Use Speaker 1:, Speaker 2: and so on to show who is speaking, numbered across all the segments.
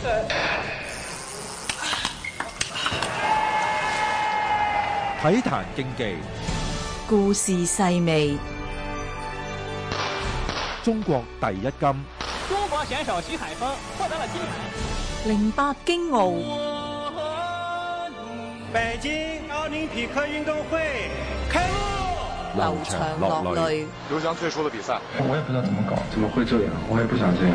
Speaker 1: 體壇競技，
Speaker 2: 故事細味，
Speaker 1: 中國第一金。
Speaker 3: 中國選手徐海峰獲得了金牌。
Speaker 2: 08京奧，
Speaker 4: 北京奧林匹克運動會開幕，
Speaker 2: 流場落淚。
Speaker 5: 劉翔退出了比賽，
Speaker 6: 我也不知道怎麼搞，怎麼會這樣？我也不想這樣。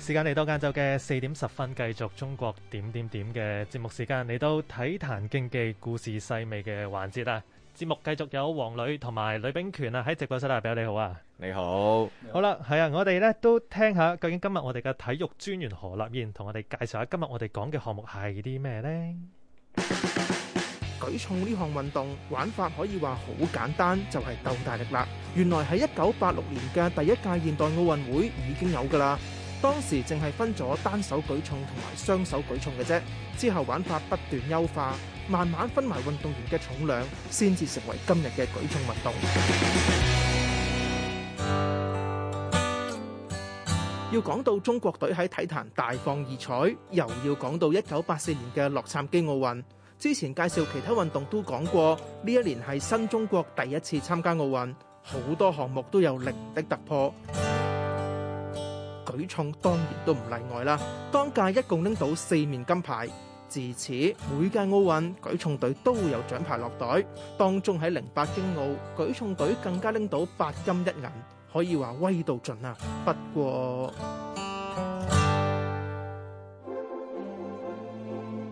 Speaker 7: 時間嚟到晏晝嘅4點10分，繼續中國點點點嘅節目時間，嚟到體壇競技故事細味嘅環節啦。節目繼續有黃磊同埋呂秉權啊，喺直播室啊，表你好啊，
Speaker 8: 你好。
Speaker 7: 好啦，係啊，我哋咧都聽下究竟今日我哋嘅體育專員何立彥同我哋介紹下今日我哋講嘅項目係啲咩呢？
Speaker 9: 舉重呢項運動玩法可以話好簡單，就係鬥大力啦。原來喺1986年嘅第一屆現代奧運會已經有㗎啦。當時淨係分咗單手舉重同埋雙手舉重嘅啫，之後玩法不斷優化，慢慢分埋運動員嘅重量，先至成為今日嘅舉重運動。要講到中國隊喺體壇大放異彩，又要講到1984年嘅洛杉磯奧運。之前介紹其他運動都講過，呢一年係新中國第一次參加奧運，好多項目都有零的突破。舉重當然都唔例外啦，當屆一共拎到4面金牌，自此每屆奧運舉重隊都會有獎牌落袋，當中喺08京奧舉重隊更加拎到8金1銀，可以話威到盡啊！不過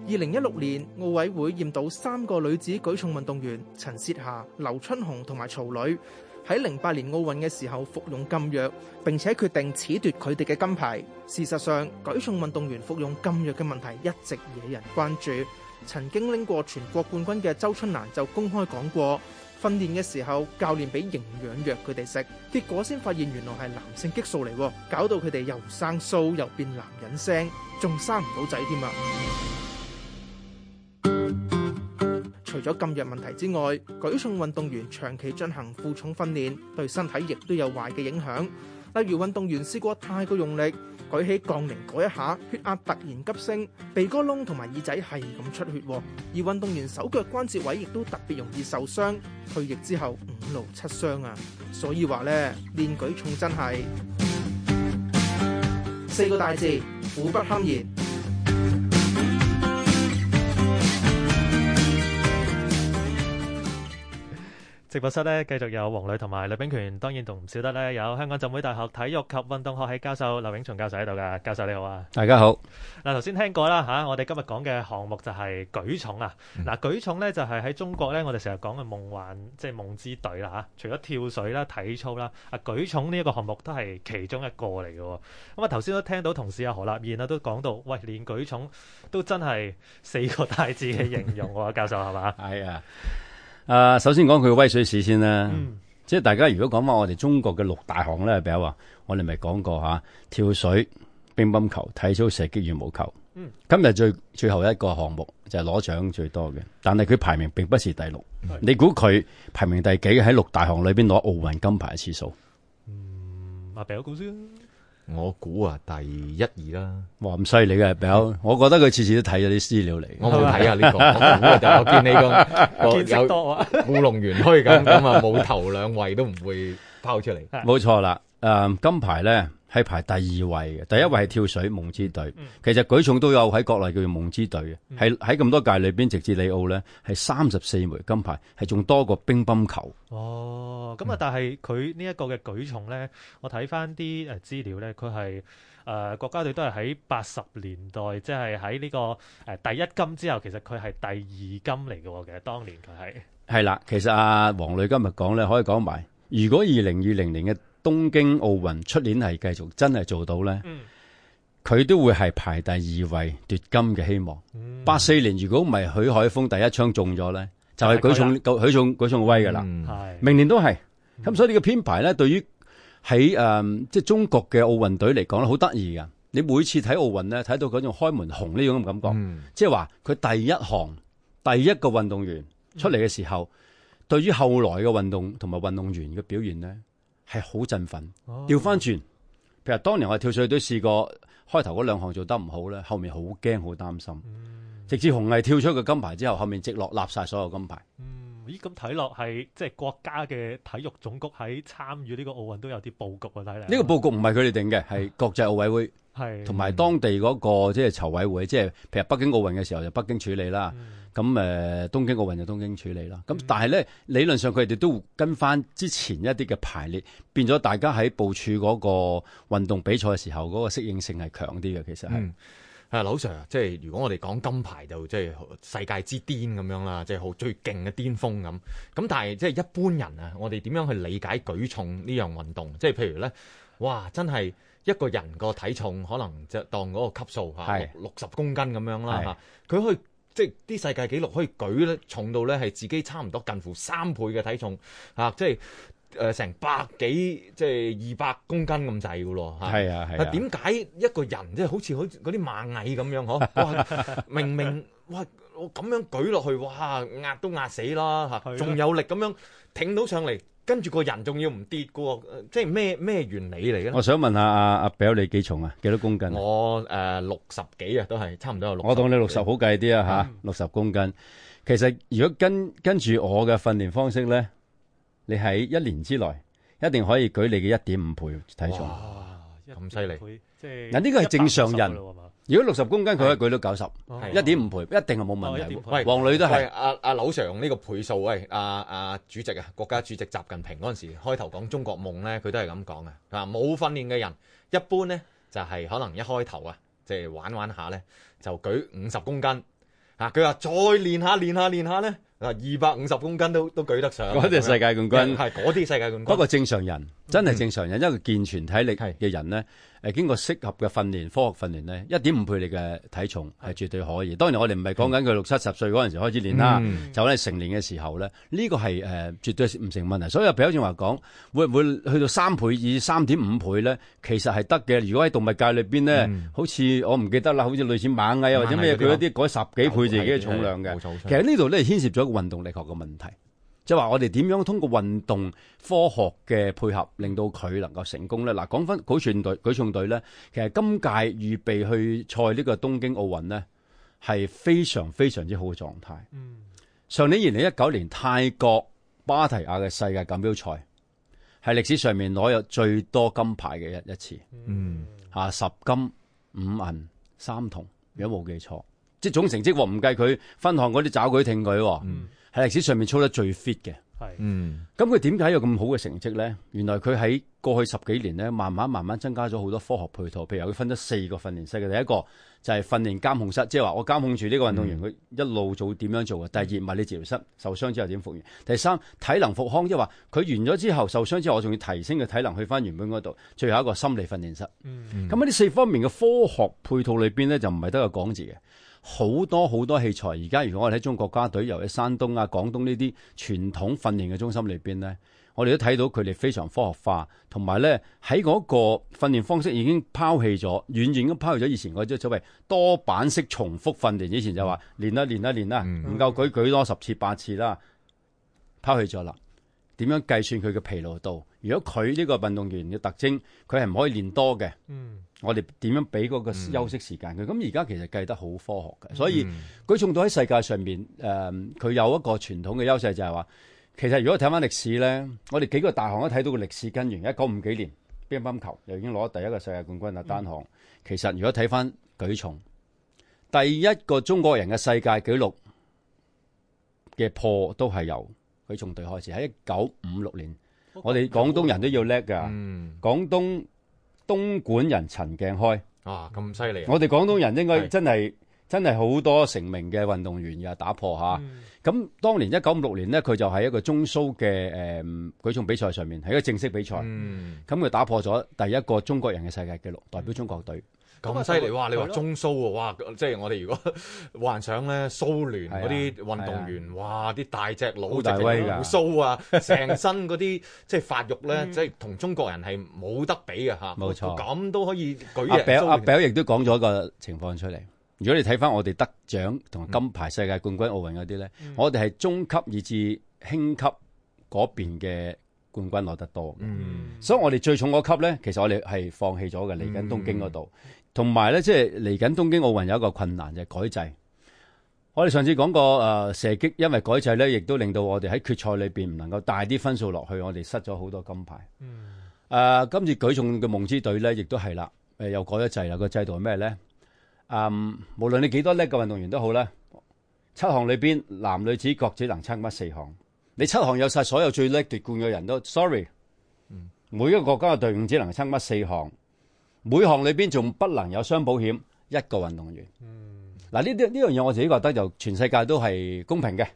Speaker 9: 2016年奧委會驗到3個女子舉重運動員陳薛霞、劉春紅同埋曹磊喺08年奧運嘅時候服用禁藥，並且決定褫奪佢哋嘅金牌。事實上，舉重運動員服用禁藥嘅問題一直惹人關注。曾經拎過全國冠軍嘅周春蘭就公開講過，訓練嘅時候教練俾營養藥佢哋食，結果先發現原來係男性激素嚟，搞到佢哋又生鬚又變男人聲，仲生唔到仔添啊！除咗禁藥問題之外，舉重運動員長期進行負重訓練，對身體亦都有壞嘅影響。例如運動員試過太過用力，舉起槓鈴嗰一下，血壓突然急升，鼻哥窿同埋耳仔係咁出血。而運動員手腳關節位亦都特別容易受傷，退役之後5勞7傷啊！所以話呢，練舉重真係4個大字，苦不堪言。
Speaker 7: 直播室咧繼續有黃磊同埋呂秉權，當然同唔少得咧有香港浸會大學體育及運動學系教授劉永松教授喺度噶。教授你好啊。
Speaker 8: 大家好。
Speaker 7: 嗱，頭先聽過啦嚇，我哋今日講嘅項目就係舉重啊。嗱，舉重咧就係喺中國咧，我哋成日講嘅夢幻即係夢之隊啦嚇。除咗跳水啦、體操啦，舉重呢一個項目都係其中一個嚟嘅。咁啊頭先都聽到同事何立彥都講到，喂，練舉重都真係4個大字嘅形容喎，教授係嘛？
Speaker 8: 係啊。首先講佢嘅威水史先啦，即係大家如果講翻我哋中國嘅6大項咧，比如話我哋咪講過嚇，跳水、乒乓球、體操、射擊、羽毛球。今日最後一個項目就係攞獎最多嘅，但係佢排名並不是第6。你估佢排名第幾？喺6大項裏邊攞奧運金牌嘅次數？
Speaker 7: 阿表估先。
Speaker 10: 我估第1、2啦。
Speaker 8: 哇，咁犀利嘅表，我覺得佢次次都睇咗啲資料嚟。
Speaker 10: 我冇睇啊呢個，我見你個有故弄玄虛咁啊，冇頭2位都唔會拋出嚟。
Speaker 8: 冇錯啦，金牌咧係排第2位嘅，第1位係跳水夢之隊。其實舉重都有喺國內叫做夢之隊嘅，係喺咁多屆裏邊，直至里奧咧係34枚金牌，係仲多過乒乓球。
Speaker 7: 哦，咁啊，但係佢呢一個嘅舉重咧，我睇翻啲資料咧，佢係國家隊都係喺80年代，即係喺呢個第1金之後，其實佢係第2金嚟嘅喎。其實當年佢係
Speaker 8: 啦，其實黃磊今日講咧，可以講埋，如果2020年嘅東京奧運出年係繼續真係做到咧，佢都會係排第2位奪金嘅希望。84年如果唔係許海峰第一槍中咗咧，就係舉重威噶啦。明年都係。咁所以呢個編排咧，對於喺即係中國嘅奧運隊嚟講咧，好得意噶。你每次睇奧運咧，睇到嗰種開門紅呢種咁感覺，即係話佢第一項第一個運動員出嚟嘅時候，對於後來嘅運動同埋運動員嘅表現咧係好振奮。調翻轉，譬如當年我哋跳水隊試過開頭嗰兩項做得唔好咧，後面好驚好擔心。直至紅藝跳出個金牌之後，後面直落立晒所有金牌。
Speaker 7: 咦，咁睇落係即係國家嘅體育總局喺參與呢個奧運都有啲佈局啊！睇嚟
Speaker 8: 呢個佈局唔係佢哋定嘅，係國際奧委會係同埋當地嗰個即係籌委會，即係譬如北京奧運嘅時候就北京處理啦。咁東京奧運就東京處理啦。咁但係咧理論上佢哋都跟翻之前一啲嘅排列，變咗大家喺部署嗰個運動比賽嘅時候嗰個適應性係強啲嘅。其實係。
Speaker 10: 劉 Sir 啊，即係如果我哋講金牌就即係世界之巔咁樣啦，即係好最勁嘅巔峰咁。咁但係即係一般人啊，我哋點樣去理解舉重呢樣運動？即係譬如咧，哇，真係一個人個體重可能就當嗰個級數嚇60公斤咁樣啦嚇，佢可以即係啲世界紀錄可以舉咧重到咧係自己差唔多近乎3倍嘅體重嚇，即係。成百幾即係200公斤咁滯㗎咯嚇，係啊。點解一個人即係好似嗰啲螞蟻咁樣嗬？哇，明明哇我咁樣舉落去，哇壓都壓死啦嚇，仲有力咁樣挺到上嚟，跟住個人仲要唔跌㗎喎，即係咩原理嚟嘅咧？
Speaker 8: 我想問下阿表你幾重啊？幾多公斤？
Speaker 10: 我60幾啊，都係差唔多有60。我
Speaker 8: 當你60好計啲啊嚇，60公斤。其實如果跟住我嘅訓練方式咧。你喺1年之內一定可以舉你嘅1.5倍體重，
Speaker 10: 咁犀利！
Speaker 8: 嗱呢個係正常人。如果60公斤佢可以舉到90，1.5倍一定係冇問題。
Speaker 10: 喂，
Speaker 8: 黃女都係。
Speaker 10: 阿劉 Sir 用呢個倍數，喂，阿主席啊，國家主席習近平嗰陣時開頭講中國夢咧，佢都係咁講嘅。冇訓練嘅人一般咧就係可能一開頭啊，即係玩下咧就舉50公斤。佢話再練下咧。250公斤都舉得上，
Speaker 8: 嗰啲世界冠軍
Speaker 10: 係嗰啲世界冠軍。
Speaker 8: 不過正常人真係正常人，一個健全體力嘅人咧，經過適合嘅訓練、科學訓練咧，1.5倍你嘅體重係絕對可以。當然我哋唔係講緊佢60-70歲嗰陣時開始練啦，就喺成年嘅時候咧，呢個係絕對唔成問題。所以譬如正話講，會唔會去到3倍以3.5倍咧？其實係得嘅。如果喺動物界裏邊咧，好似我唔記得啦，好似類似螞蟻啊或者咩，佢一啲改10幾倍自己嘅重量嘅。其實呢度咧牽涉咗運動力學嘅問題，即係話我哋點樣通過運動科學嘅配合，令到佢能夠成功咧？嗱，講翻舉重隊咧，其實今屆預備去賽呢個東京奧運咧，係非常非常之好嘅狀態。上年2019年泰國芭提雅嘅世界錦標賽係歷史上面攞有最多金牌嘅一次。10金5銀3銅，如果冇記錯。即係總成績喎，唔計佢分項嗰啲抓舉挺舉，係歷史上面操得最 fit 嘅。咁佢點解有咁好嘅成績咧？原來佢喺過去10幾年咧，慢慢增加咗好多科學配套。譬如佢分咗4個訓練室嘅，第一個就係訓練監控室，即係話我監控住呢個運動員佢一路做點樣做嘅。第二，物理治療室，受傷之後點復原。第三，體能復康，即係話佢完咗之後受傷之後，我仲要提升佢體能去翻原本嗰度。最後一個心理訓練室。咁喺呢4方面嘅科學配套裏邊咧，就唔係得個講字嘅。好多器材，而家如果我哋喺中國國家隊，尤其山東啊、廣東呢啲傳統訓練嘅中心裏邊咧，我哋都睇到佢哋非常科學化，同埋咧喺嗰個訓練方式已經拋棄咗，遠遠咁拋棄咗以前嗰啲所謂多板式重複訓練。以前就話練啦，唔夠舉多10次8次啦，拋棄咗啦。點樣計算佢嘅疲勞度？如果佢呢個運動員嘅特徵，佢係唔可以練多嘅。我哋點樣俾嗰個休息時間佢？咁而家其實計得好科學嘅，所以舉重隊喺世界上面，佢有一個傳統嘅優勢就係話，其實如果睇翻歷史咧，我哋幾個大項都睇到個歷史根源。1950幾年乒乓球又已經攞第一個世界冠軍啦，單項。其實如果睇翻舉重，第一個中國人嘅世界紀錄嘅破都係由舉重隊開始，喺1956年。我哋廣東人都要叻㗎，廣東莞人陳鏡開
Speaker 10: 咁犀利！
Speaker 8: 我哋廣東人應該真係好多成名嘅運動員嘅打破嚇。咁當年1956年呢，佢就喺一個中蘇嘅舉重比賽上面，係一個正式比賽。咁佢打破咗第一個中國人嘅世界紀錄，代表中國隊。
Speaker 10: 咁犀利！哇！你話中蘇喎，哇！即係我哋如果幻想咧，蘇聯嗰啲運動員，哇！啲大隻佬，好大威㗎，鬍鬚啊，成身嗰啲即係發育咧，即係同中國人係冇得比嘅嚇。冇錯，咁都可以舉贏。
Speaker 8: 阿表亦都講咗個情況出嚟，如果你睇翻我哋得獎同金牌世界冠軍奧運嗰啲咧，我哋係中級以至輕級嗰邊嘅冠軍攞得多嘅。所以我哋最重嗰級咧，其實我哋係放棄咗嘅，嚟緊東京嗰度。同埋咧，即係嚟緊東京奧運有一個困難就係改制。我哋上次講過射擊，因為改制咧，亦都令到我哋喺決賽裏邊唔能夠帶啲分數落去，我哋失咗好多金牌。今次舉重嘅夢之隊咧，亦都係啦，又改咗制啦。個制度係咩咧？無論你幾多叻嘅運動員都好啦，7項裏邊男女子各只能參加4項。你7項有晒所有最叻奪冠嘅人都 sorry，每一個國家嘅隊伍只能參加4項，每項裏邊仲不能有雙保險一個運動員。嗱，呢樣嘢我自己覺得就全世界都係公平嘅。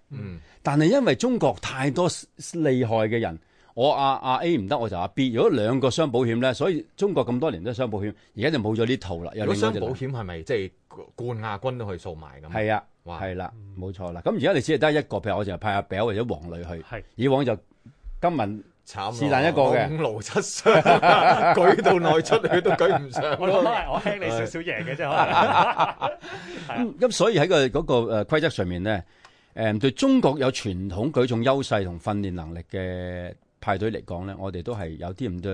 Speaker 8: 但係因為中國太多厲害嘅人，我阿 A 唔得我就阿 B， 如果2個雙保險咧，所以中國咁多年都雙保險，而家就冇咗呢套啦。
Speaker 10: 如果雙保險係咪即係冠亞軍都可以掃埋咁？係
Speaker 8: 啊，係啦，冇錯啦。咁而家你只係得一個，譬如我就派阿表或者黃磊去，以往就金文
Speaker 10: 慘
Speaker 8: 是但一個嘅
Speaker 10: 5勞7傷，舉到內出血都舉唔上。
Speaker 7: 我輕你少少贏嘅啫，可能。
Speaker 8: 咁所以喺嗰個規則上面咧，對中國有傳統舉重優勢同訓練能力嘅派隊嚟講咧，我哋都係有啲咁多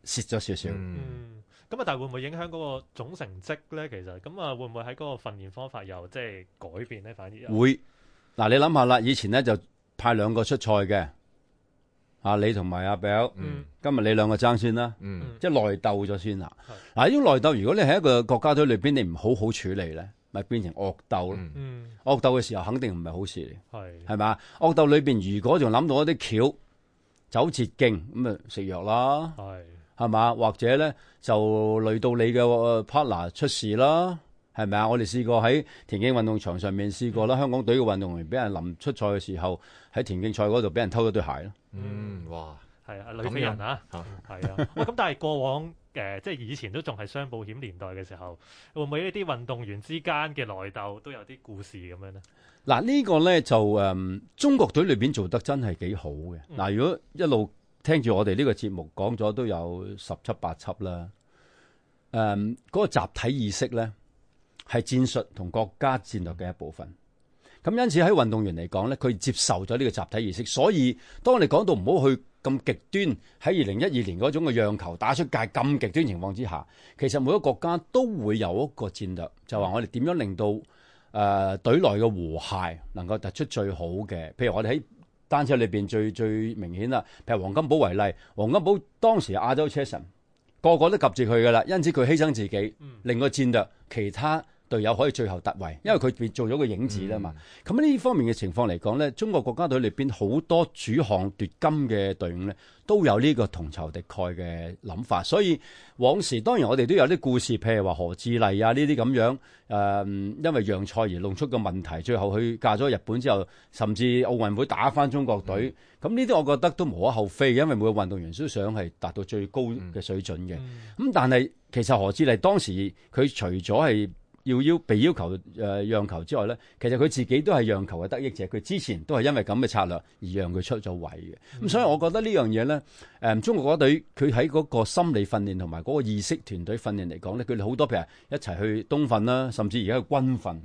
Speaker 8: 蝕咗少少。
Speaker 7: 咁但係會唔會影響嗰個總成績咧？其實咁會唔會喺嗰個訓練方法又即係改變咧？反而
Speaker 8: 會。嗱，你諗下啦，以前咧就派2個出賽嘅，你同埋阿表，今日你2個爭先啦，即係內鬥咗先啦。嗱，呢種內鬥，如果你喺一個國家隊裏邊，你唔好好處理咧，咪變成惡鬥咯。惡鬥嘅時候肯定唔係好事嚟，係嘛？惡鬥裏邊如果仲諗到一啲橋走捷徑，咁啊食藥啦，係嘛？或者咧就累到你嘅 partner 出事啦，係咪啊？我哋試過喺田徑運動場上面試過啦，香港隊嘅運動員俾人臨出賽嘅時候喺田徑賽嗰度俾人偷咗對鞋咯。
Speaker 10: 哇！
Speaker 7: 係啊，女飛人啊，係啊。咁但係過往即係以前都仲係雙保險年代嘅時候，會唔會呢啲運動員之間嘅內鬥都有啲故事咁樣咧？
Speaker 8: 嗱，呢個咧就中國隊裏邊做得真係幾好嘅。嗱，如果一路聽住我哋呢個節目講咗都有17、8輯啦。嗰個集體意識咧係戰術同國家戰略嘅一部分。咁因此喺運動員嚟講咧，佢接受咗呢個集體意識，所以當我哋講到唔好去咁極端，喺2012年嗰種嘅讓球打出界咁極端情況之下，其實每個國家都會有一個戰略，就話我哋點樣令到隊內嘅和諧能夠突出最好嘅。譬如我哋喺單車裏邊最明顯啦，譬如黃金寶為例，黃金寶當時係亞洲車神，個個都及住佢噶啦，因此佢犧牲自己，令個戰略其他隊友可以最後突圍，因為佢做咗個影子啦嘛。咁呢方面嘅情況嚟講咧，中國國家隊裏邊好多主項奪金嘅隊伍咧，都有呢個同仇敵愾嘅諗法。所以往時當然我哋都有啲故事，譬如話何志麗啊呢啲咁樣，因為讓賽而弄出個問題，最後佢嫁咗日本之後，甚至奧運會打返中國隊。咁呢啲我覺得都無可厚非，因為每個運動員都想係達到最高嘅水準嘅。咁但係其實何志麗當時佢除咗係被要求讓球之外咧，其實佢自己都係讓球嘅得益者。佢之前都係因為咁嘅策略而讓佢出咗位嘅。咁所以我覺得呢樣嘢咧，中國國家隊佢喺嗰個心理訓練同埋嗰個意識團隊訓練嚟講咧，佢哋好多譬如一齊去冬訓啦，甚至而家去軍訓，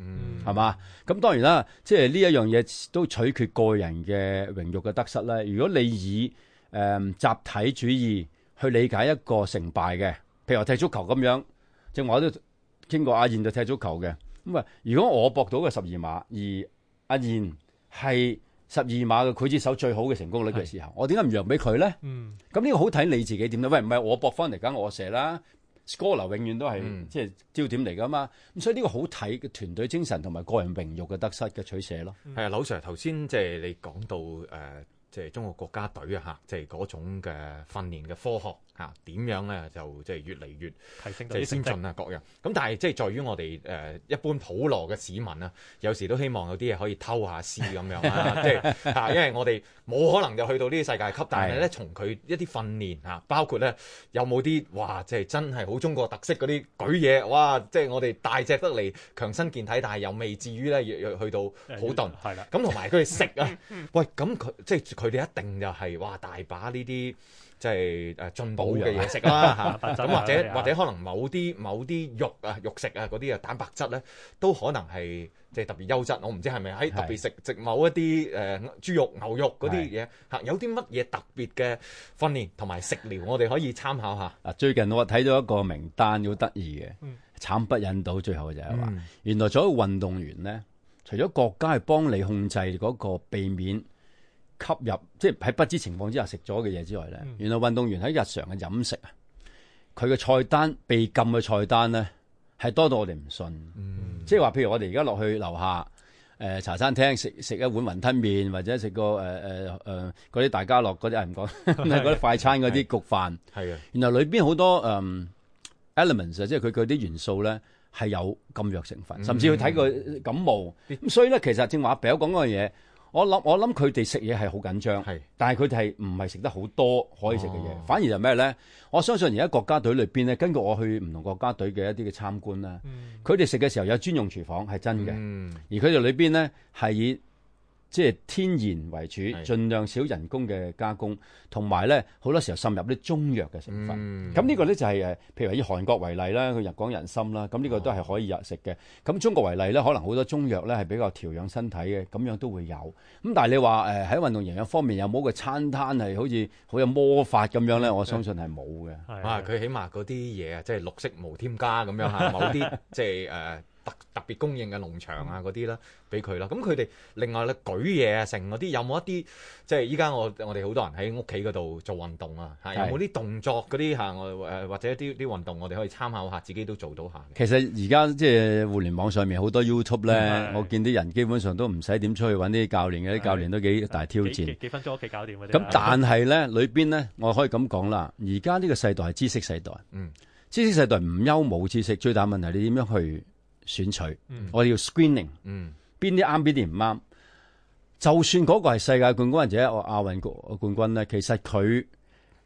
Speaker 8: 係嘛？咁當然啦，即係呢一樣嘢都取決個人嘅榮譽嘅得失咧。如果你以集體主義去理解一個成敗嘅，譬如話踢足球咁樣，正話我都經過阿燕就踢足球嘅，咁啊，如果我搏到嘅12碼，而阿燕係12碼嘅劊子手最好嘅成功率嘅時候，我點解唔讓俾佢咧？咁呢個好睇你自己點咧？喂，唔係我搏翻嚟梗我射啦 ，score 流永遠都係即係焦點嚟噶嘛。咁所以呢個好睇嘅團隊精神同埋個人榮譽嘅得失嘅取捨咯。
Speaker 10: 係啊，劉 Sir 頭先即係你講到即係中國國家隊啊嚇，即係嗰種嘅訓練嘅科學嚇點樣咧，就即係越嚟越
Speaker 7: 提升
Speaker 10: 即係先進啊各樣。咁但係即係在於我哋一般普羅嘅市民啊，有時都希望有啲嘢可以偷下師咁樣啦，即係嚇，因為我哋冇可能就去到呢啲世界級，但係咧從佢一啲訓練嚇，包括咧有冇啲哇，即係真係好中國特色嗰啲舉嘢，哇！即係我哋大隻得嚟，強身健體，但係又未至於咧去到好鈍。係啦，咁同埋佢哋食啊，喂，咁佢即係佢哋一定就係哇大把呢啲。即係進補嘅嘢食啦嚇，咁或者可能某啲肉食啊嗰啲蛋白質咧都可能係即係特別優質，我唔知係咪喺特別食某一啲豬肉、牛肉嗰啲嘢嚇，有啲乜嘢特別嘅訓練同埋食療，我哋可以參考下。
Speaker 8: 最近我睇到一個名單好得意嘅，慘不忍睹，最後就係話，原來做一個運動員咧，除咗國家係幫你控制嗰個避免吸入，即係喺不知情況之下食咗嘅嘢之外咧，原來運動員喺日常嘅飲食啊，佢嘅菜單被禁嘅菜單咧係多到我哋唔信。即係話，譬如我哋而家落去樓下茶餐廳食一碗雲吞麵，或者食個嗰啲大家樂嗰啲唔講，嗰啲快餐嗰啲焗飯，係啊，原來裏邊好多elements 即係佢啲元素咧係有禁藥成分，甚至要睇佢感冒。咁所以咧，其實正話阿表講嗰樣嘢。我諗佢哋食嘢係好緊張，但係佢哋係唔係食得好多可以食嘅嘢，反而就咩咧？我相信而家國家隊裏邊咧，根據我去唔同國家隊嘅一啲嘅參觀啦，佢哋食嘅時候有專用廚房係真嘅，而佢哋裏邊咧係以即係天然為主，盡量少人工嘅加工，同埋咧好多時候滲入啲中藥嘅成分。咁呢個咧就係譬如以韓國為例啦，佢講人參啦，咁呢個都係可以食嘅。咁中國為例咧，可能好多中藥咧係比較調養身體嘅，咁樣都會有。咁但係你話喺運動營養方面有冇個餐單係好似好有魔法咁樣咧？我相信係冇嘅。
Speaker 10: 佢起碼嗰啲嘢啊，即係綠色無添加咁樣嚇，某啲即係特別供應嘅農場啊嗰啲啦，俾佢啦。咁佢哋另外咧舉嘢啊，成嗰啲有冇一啲即係依家我哋好多人喺屋企嗰度做運動啊，有冇啲動作嗰啲嚇或者啲運動我哋可以參考下，自己都做到下。
Speaker 8: 其實而家即係互聯網上面好多 YouTube 咧，我見啲人基本上都唔使點出去揾啲教練嘅，啲教練都幾大挑戰。
Speaker 7: 幾分鐘屋企搞掂嗰啲。
Speaker 8: 咁但係咧裏邊咧，我可以咁講啦，而家呢個世代係知識世代，知識世代唔憂冇知識，最大問題你點樣去選取，我哋要 screening，邊啲啱邊啲唔啱。就算嗰個係世界冠軍或者亞運冠軍咧，其實佢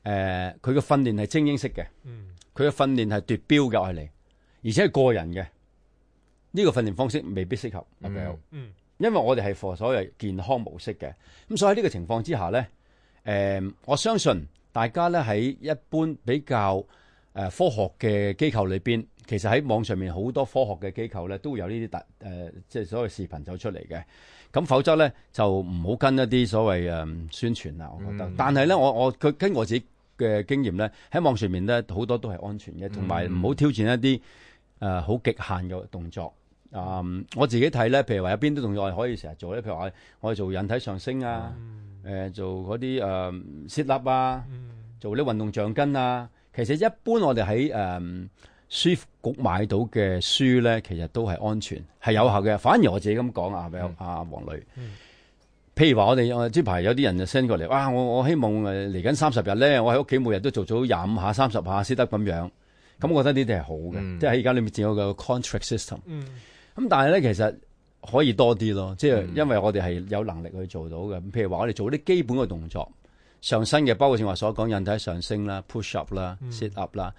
Speaker 8: 嘅訓練係精英式嘅，佢嘅訓練係奪標嘅愛嚟，而且係個人嘅。呢個訓練方式未必適合阿表，因為我哋係 for 所謂健康模式嘅。咁所以喺呢個情況之下咧，我相信大家咧喺一般比較科學嘅機構裏邊。其實喺網上面好多科學嘅機構咧，都會有呢啲即係所謂視頻走出嚟嘅。咁否則咧就唔好跟一啲所謂宣傳啦。我覺得，但係咧佢跟我自己嘅經驗咧，喺網上面咧好多都係安全嘅，同埋唔好挑戰一啲好極限嘅動作。我自己睇咧，譬如話有邊啲動作我哋可以成日做咧？譬如話我哋做引體上升啊，做嗰啲sit up啊，做啲運動橡筋啊。其實一般我哋喺書局買到嘅書咧，其實都係安全，係有效嘅。反而我自己咁講啊，阿黃女，譬如話我哋呢排有啲人就 send 過嚟，哇！我希望嚟緊30日咧，我喺屋企每日都做到25下、30下先得咁樣。咁我覺得呢啲係好嘅，即係喺而家裏面有個 contract system。咁但係咧，其實可以多啲咯，即係因為我哋係有能力去做到嘅。譬如話我哋做啲基本嘅動作。上身嘅，包括正話所講引體上升啦、push up 啦、sit up 啦、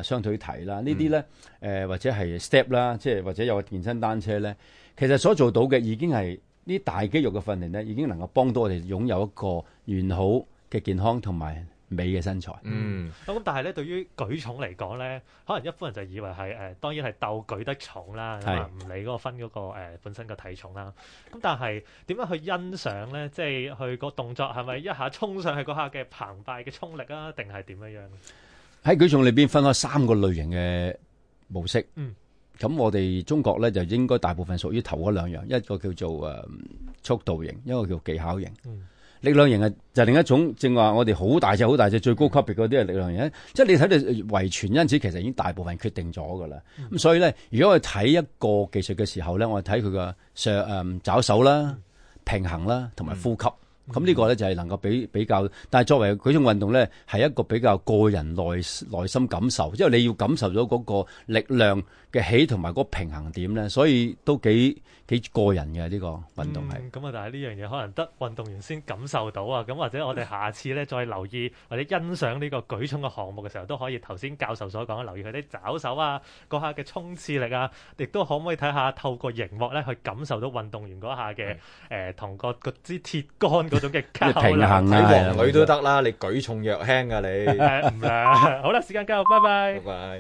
Speaker 8: 雙腿提啦，呢啲咧或者係 step 啦，即係或者有個健身單車咧，其實所做到嘅已經係呢大肌肉嘅訓練咧，已經能夠幫到我哋擁有一個完好嘅健康同埋美嘅身材。
Speaker 7: 咁但係咧，對於舉重嚟講咧，可能一般人就以為係當然係鬥舉得重啦，唔理嗰個分嗰個本身嘅體重啦。咁但係點樣去欣賞咧？即係佢個動作係咪一下衝上去嗰下嘅澎湃嘅衝力啊？定係點樣？
Speaker 8: 喺舉重裏邊分開3個類型嘅模式。咁我哋中國咧就應該大部分屬於頭嗰2樣，一個叫做速度型，一個叫技巧型。力量型就另一種，正話我哋好大隻最高級別嗰啲係力量型，即係你睇到遺傳因子其實已經大部分決定咗噶啦。咁所以咧，如果我哋睇一個技術嘅時候咧，我哋睇佢個抓手啦、平衡啦同埋呼吸。咁呢個咧就係能夠比較，但係作為舉重運動咧，係一個比較個人內心感受，因為你要感受到嗰個力量嘅起同埋嗰個平衡點咧，所以都幾個人嘅呢個運動係。
Speaker 7: 咁但係呢樣嘢可能得運動員先感受到啊。咁或者我哋下次咧再留意或者欣賞呢個舉重嘅項目嘅時候，都可以頭先教授所講留意佢啲抓手啊，嗰下嘅衝刺力啊，亦都可唔可以睇下透過熒幕咧去感受到運動員嗰下嘅同個支鐵桿嗰種嘅較
Speaker 8: 平衡
Speaker 10: 睇
Speaker 8: 啊，
Speaker 10: 王女都得啦，你舉重若輕啊你。
Speaker 7: 唔啦，好啦，時間夠，拜拜。
Speaker 10: 拜拜。